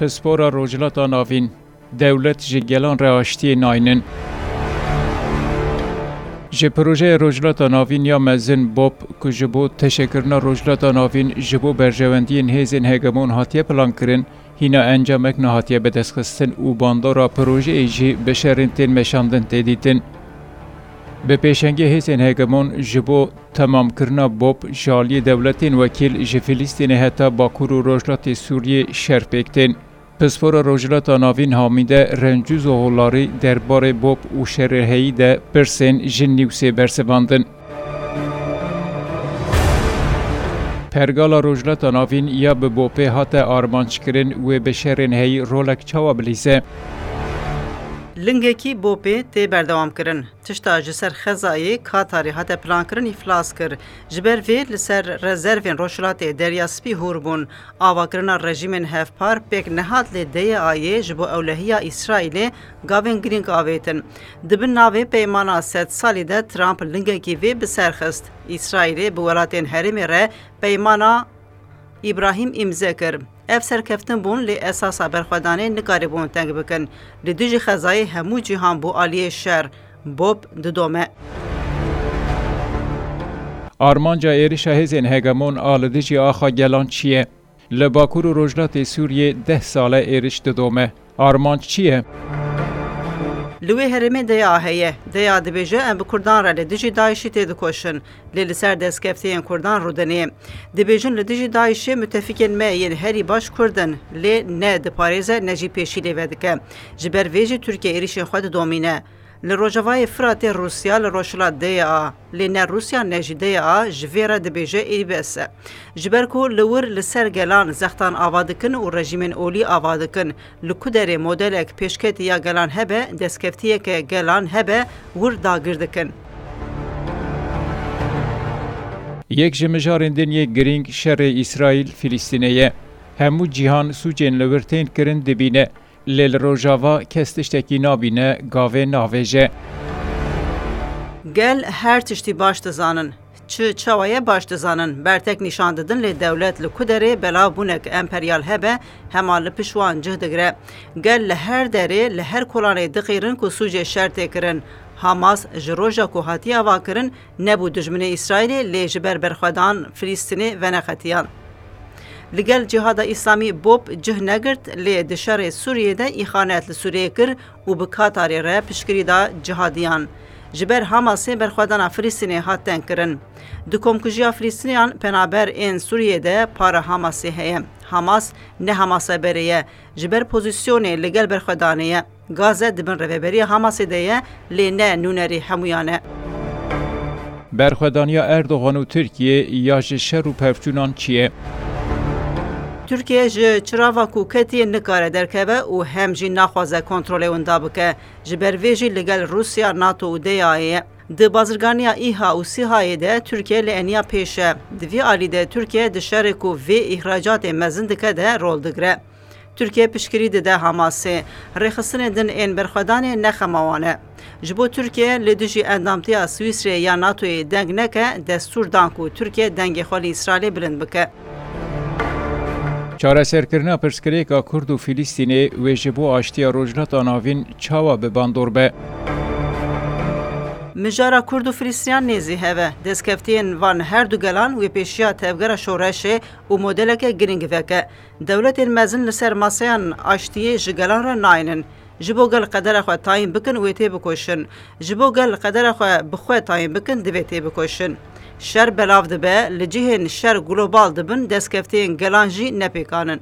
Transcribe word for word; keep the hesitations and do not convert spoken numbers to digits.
Pispora Rojhilata Navîn, dewlet ji gelan re aştiyê naynin. Ji projeya Rojhilata Navîn ya mezin BOP, ku ji bo teşekirina Rojhilata Navîn ji bo berjewendiyên hêzên hegemon hatiye plankirin, hîna encamek nehatiye bidestxistin û bandora projeyê jî bi şerên tên meşandin tê dîtin. Bi pêşengê hêzên hegemon ji bo temamkirina BOP ji aliyê dewletên wekîl ji Filistînê heta Bakur û Rojhilatê Sûriyê şer pêk tên. Pispora Rojhilata Navîn Hamîde Rencûzo Holarî derbarê BOP û şerê heyî de pirsên ji Nîwsê bersivandin. Pergala Rojhilata Navîn ya bi BOPê hate armanc kirin, wê bi şerên heyî rolek çawa bilîze? Lingekî BOPê tê berdewamkirin. Tişta ji ser xezayê Katarê hate plankirin îflas kir. Ji ber vê li ser rezervên Rojhilatê Derya Spî hûr bûn. Avakirina rejîmên hevpar pêk nehat, lê D Y A'yê ji bo ewlehiya Îsraîlê gavên girîng avêtin. Di bin navê peymana sed salî de Trump lingekî vê bi ser xist. Îsraîlê bi welatên herêmê re peymana Îbrahîm îmze kir. Ev serkeftin bûn, lê esasa berxwedanê nikaribûn teng bikin. Li dijî xezayê hemû cîhan bû aliyê şer. BOP didome. Armanca êrişa hêzên hegemon a li dijî axa gelan çi ye? Li Bakur û Rojhilatê Sûriyê deh sal e êriş didome. Armanc çi ye? Li wê herêmê D Y A heye. D Y A dibêje, em bi Kurdan re li dijî DAIŞ'î têdikoşin. Lê li ser destkeftiyên Kurdan rûdinê. Dibêjin, li dijî DAIŞ'ê müttefikên me yên herî baş Kurd in, lê ne diparêze ne jî pêşî lê vedike. Ji ber vê jî Tirkiye êrişên xwe didomîne. Li Rojavayê Firatê Rûsya, li Rojhilat D Y A, lê ne Rûsya ne jî D Y A ji vê re dibêje êrî bes e. Ji ber ku li wir li ser gelan zextan ava dikin û rejîmên olî ava dikin, li ku derê modelek pêşketî ya gelan hebe, destkeftiyeke gelan hebe, wir dagir dikin. Yek ji mijarên din yê girîng şerê Îsraîl-Filistînê ye. Hemû cîhan sûcên li wir tên kirin dibîne. Lê li Rojava kes tiştekî nabîne, gavê navêje. Gel her tiştî baş dizanin. Çi çawa ye baş dizanin. Bertek nîşan didin, lê dewlet li ku derê belav bûnek emperyal hebe, hema li pişt wan cih digire. Gel li her derê, li her kolanê diqîrin ku sûcê şer tê kirin. Hamas ji roja ku hatiye avakirin, nebû dijminê Îsraîlê, lê ji ber berxwedan Filistînê veneqetiyan. Li gel Cihada Îslamî BOP cih negirt, lê di şerê Sûriyê de îxanet li Sûriyê kir û bi Katarê re piştgirî da cihadiyan. Ji ber Hamasê berxwedana Filistînê hat tengkirin. Di komkujiya Filistîniyan penaber ên Sûriyê de para Hamasê heye. Hamas ne Hamasa berê ye. Ji ber pozîsyonê li gel berxwedanê ye. Gaze di bin rêveberiya Hamasê de ye, lê ne nûnerê hemûyan e. Berxwedaniya Erdogan û Tirkiyê ya ji şer û pevçûnan çi ye? Tirkiye ji çirava ku ketiye nikare derkeve û hem jî naxwaze kontrolê winda bike. Ji ber vê jî li gel Rûsya, NATO û D Y A'yê ye. Di bazirganiya ÎHA û SÎHA'yê de Tirkiye li eniya pêş e. Di vî alî de Tirkiye di şerê ku vê îhracatê mezin dike de rol digire. Tirkiye piştgirî dide Hamasê. Rêxistinên din ên berxwedanê ne xema wan e. Ji bo Tirkiye li dijî endamtiya Swîsreyê ya NATOyê deng neke, destûr dan ku Tirkiye dengê xwe li Îsraîlê bilind bike. Çareserkirina pirsgirêka Kurd û Filistînê wê ji bo aştiya Rojhilata Navîn çawa bi bandor be? Mijara Kurd û Filistîniyan nêzî hev e. Destkeftiyên van her du gelan wê pêşiya tevgera şoreşê û modeleke girîng veke. Dewletên mezin li ser maseyan aştiyê ji gelan re naynin. Ji bo gel qedera xwe tayîn bikin, wê têbikoşin. Ji bo gel qedera xwe bi xwe tayîn bikin, divê têbikoşin. Şer belav dibe, li cihên şer global dibin, destkeftiyên gelan jî nepêkan in.